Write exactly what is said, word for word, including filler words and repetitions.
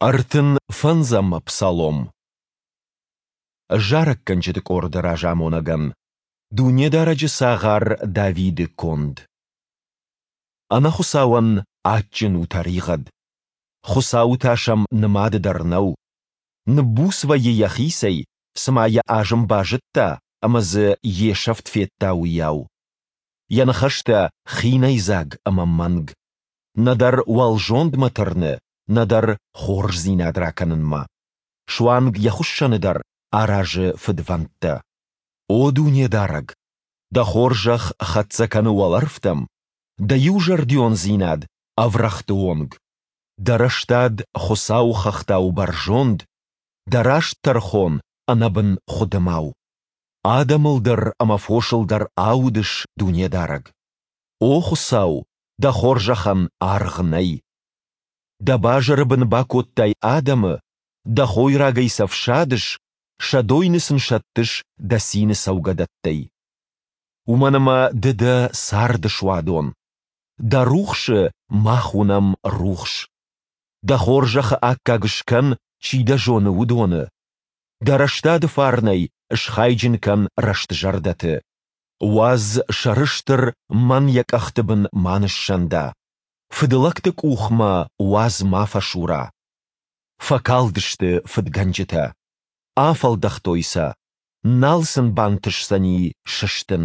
Ӕртын фӕндзӕм псалом. Зарӕггӕнджыты къорды разамонӕгӕн. Дунедарӕджы цагъар Давиды конд. Ӕнӕхуыцауӕн адджын у тӕригъӕд. Хуыцауы тас ӕм нымады дӕр нӕу. Ныббуц вӕййы йӕхицӕй, цыма йӕ азым базыдта ӕмӕ дзы йе сӕфт федта, уыйау. Йӕ ныхӕстӕ хинӕйдзаг ӕмӕ мӕнг. Нӕдӕр уӕлзондмӕ тырны, нӕдӕр хорздзинад ракӕнынмӕ. Суанг йӕ хуыссӕны дӕр аразы фыдвӕндтӕ. О Дунедарӕг, Дӕ хорзӕх хӕццӕ кӕны уӕлӕрвтӕм, Дӕ иузӕрдиондзинад ӕврӕгъты онг. Дӕ рӕстад Хуыцауы хӕхтау бӕрзонд, Дӕ раст тӕрхон ӕнӕбын хуыдымау. Адӕмыл дӕр ӕмӕ фосыл дӕр аудыс, Дунедарӕг. О Хуыцау, Дӕ хорзӕхӕн аргъ нӕй. Дӕ базыры бын бакодтай адӕмы, Дӕ хойрагӕй сӕ фсадыс, сӕ дойны сын сӕттыс Дӕ цины цӕугӕдӕттӕй. Уымӕн ӕмӕ Ды дӕ царды суадон, Дӕ рухсы мах уынӕм рухс. Дӕ хорзӕхы аккаг скӕн, чи Дӕ зоны, уыдоны. Дӕ рӕстады фарнӕй схайджын кӕн рӕстзӕрдӕты. Уадз, сӕрыстыр мӕн йӕ къӕхты бын ма ныссӕнда, фыдлӕгты къух мӕ уадз ма фӕсура. Фӕкалдысты фыдгӕнджытӕ, афӕлдӕхтой сӕ, нал сын бантысдзӕни сыстын.